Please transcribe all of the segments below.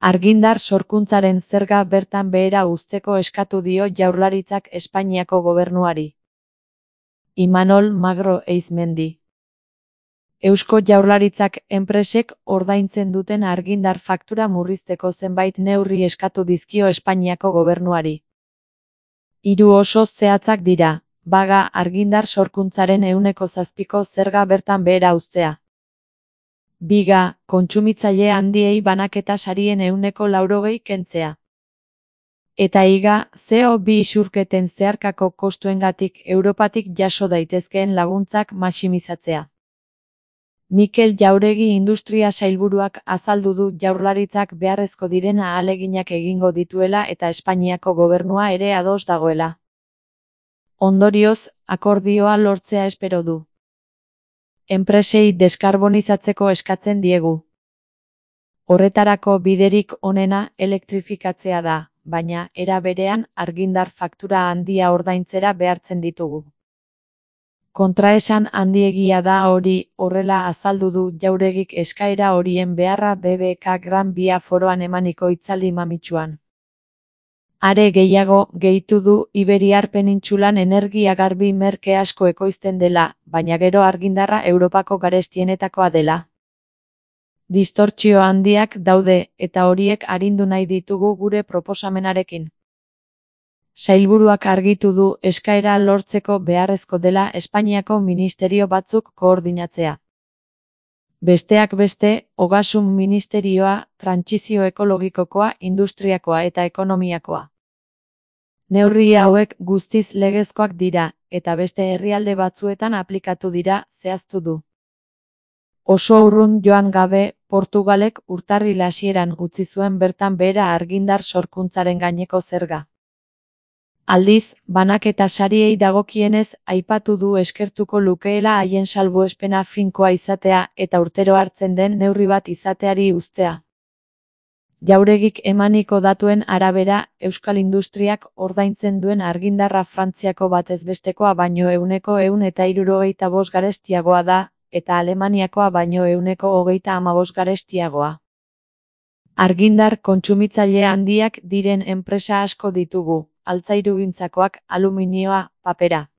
Argindar sorkuntzaren zerga bertan behera uzteko eskatu dio Jaurlaritzak Espainiako gobernuari. Imanol Magro Eizmendi. Eusko Jaurlaritzak enpresek ordaintzen duten argindar faktura murrizteko zenbait neurri eskatu dizkio Espainiako gobernuari. 3 oso zehatzak dira, baga argindar sorkuntzaren 7% zerga bertan behera uztea. Biga, kontsumitzaile handiei banaketa sarien 80% kentzea. Eta higa, CO2 isurketen zeharkako kostuengatik Europatik jaso daitezkeen laguntzak maximizatzea. Mikel Jauregi industria sailburuak azaldu du Jaurlaritzak beharrezko diren ahaleginak egingo dituela eta Espainiako gobernua ere ados dagoela. Ondorioz, akordioa lortzea espero du. Enpresei deskarbonizatzeko eskatzen diegu. Horretarako biderik onena elektrifikatzea da, baina era berean argindar faktura handia ordaintzera behartzen ditugu. Kontraesan handiegia da hori, horrela azaldu du Jauregik eskaera horien beharra BBK Gran Via foroan emaniko hitzaldi mamitsuan. Are gehiago, gehitu du Iberiar penintsulan energia garbi merke asko ekoizten dela, baina gero argindarra Europako garestienetakoa dela. Distortsio handiak daude, eta horiek arindu nahi ditugu gure proposamenarekin. Sailburuak argitu du eskaera lortzeko beharrezko dela Espainiako ministerio batzuk koordinatzea. Besteak beste, Ogasun Ministerioa, Trantsizio Ekologikokoa, Industriakoa eta Ekonomiakoa. Neurri hauek guztiz legezkoak dira, eta beste herrialde batzuetan aplikatu dira, zehaztu du. Oso urrun joan gabe, Portugalek urtarril hasieran utzi zuen bertan behera argindar sorkuntzaren gaineko zerga. Aldiz, banaketa sariei dagokienez aipatu du eskertuko lukeela haien salbuespena finkoa izatea eta urtero hartzen den neurri bat izateari uztea. Jauregik emaniko datuen arabera, Euskal Industriak ordaintzen duen argindarra Frantziako batezbestekoa baino 175 garestiagoa da, eta Alemaniakoa baino 135 garestiagoa. Argindar kontsumitzaile handiak diren enpresa asko ditugu, altzairugintzakoak, aluminioa, papera.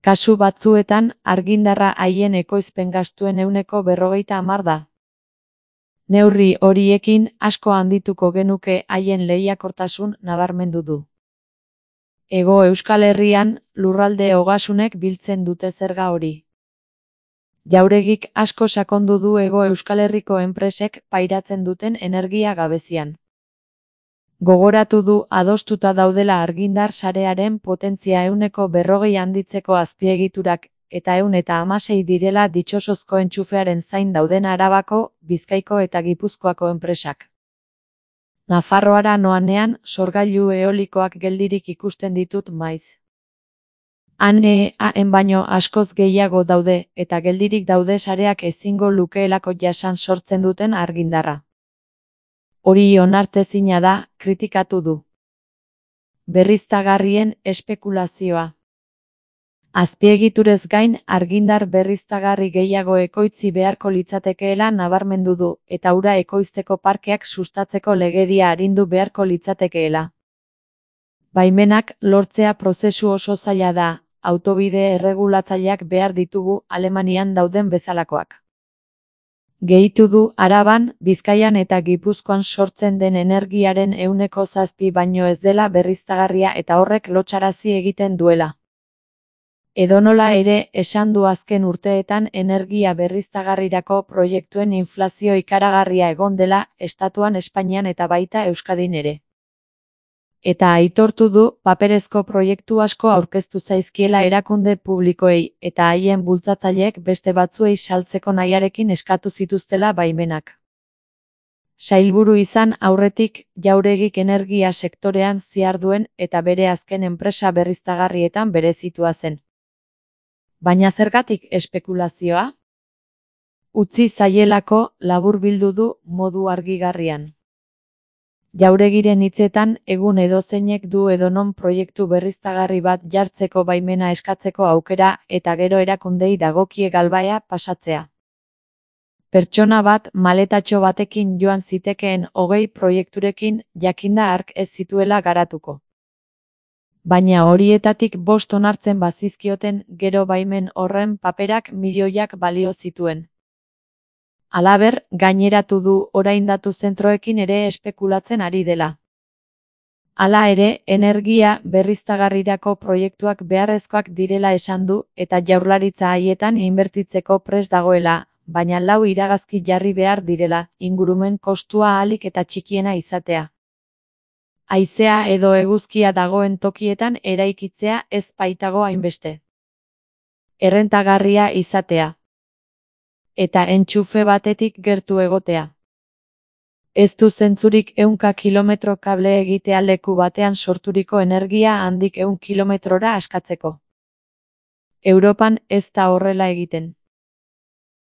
Kasu batzuetan, argindarra haien ekoizpen gastuen 40% da. Neurri horiekin asko handituko genuke haien lehiakortasun nabarmendu du. Hego Euskal Herrian, lurralde ogasunek biltzen dute zerga hori. Jauregik asko sakondu du Hego Euskal Herriko enpresek pairatzen duten energia gabezian. Gogoratu du adostuta daudela argindar sarearen potentzia 40% handitzeko azpiegiturak, eta 116 direla ditxosozko entxufearen zain dauden Arabako, Bizkaiko eta Gipuzkoako enpresak. Nafarroara noanean, sorgailu eolikoak geldirik ikusten ditut maiz. Han baino askoz gehiago daude, eta geldirik daude sareak ezingo lukeelako jasan sortzen duten argindarra. Hori onartezina da, kritikatu du. Berriztagarrien espekulazioa. Azpiegiturez gain, argindar berriztagarri gehiago ekoitzi beharko litzatekeela nabarmendu du, eta ura ekoizteko parkeak sustatzeko legedia arindu beharko litzatekeela. Baimenak lortzea prozesu oso zaila da, autobide erregulatzaileak behar ditugu Alemanian dauden bezalakoak. Gehitu du Araban, Bizkaian eta Gipuzkoan sortzen den energiaren 7% baino ez dela berriztagarria eta horrek lotsarazi egiten duela. Edonola ere, esan du azken urteetan energia berriztagarrirako proiektuen inflazio ikaragarria egon dela, estatuan Espainian eta baita Euskadin ere. Eta aitortu du, paperezko proiektu asko aurkeztu zaizkiela erakunde publikoei, eta haien bultzatzaileek beste batzuei saltzeko nahiarekin eskatu zituztela baimenak. Sailburu izan aurretik, Jauregik energia sektorean ziharduen eta bere azken enpresa berriztagarrietan berezitua zen. Baina zergatik espekulazioa? Utzi zaielako, laburbildu du modu argigarrian. Jauregiren hitzetan, egun edozeinek du edonon proiektu berriztagarri bat jartzeko baimena eskatzeko aukera eta gero erakundei dagokie galbaia pasatzea. Pertsona bat maletatxo batekin joan zitekeen 20 proiekturekin jakinda hark ez zituela garatuko. Baina horietatik 5 onartzen bazizkioten gero baimen horren paperak milioiak balio zituen. Halaber, gaineratu du orain datu zentroekin ere espekulatzen ari dela. Hala ere, energia berriztagarrirako proiektuak beharrezkoak direla esan du eta Jaurlaritza haietan inbertitzeko prest dagoela, baina 4 iragazki jarri behar direla, ingurumen kostua ahalik eta txikiena izatea. Haizea edo eguzkia dagoen tokietan eraikitzea ez baitago hainbeste. Errentagarria izatea. Eta entxufe batetik gertu egotea. Ez du zentzurik 100 kilometro kable egitea leku batean sorturiko energia handik 100 kilometrora askatzeko. Europan ez da horrela egiten.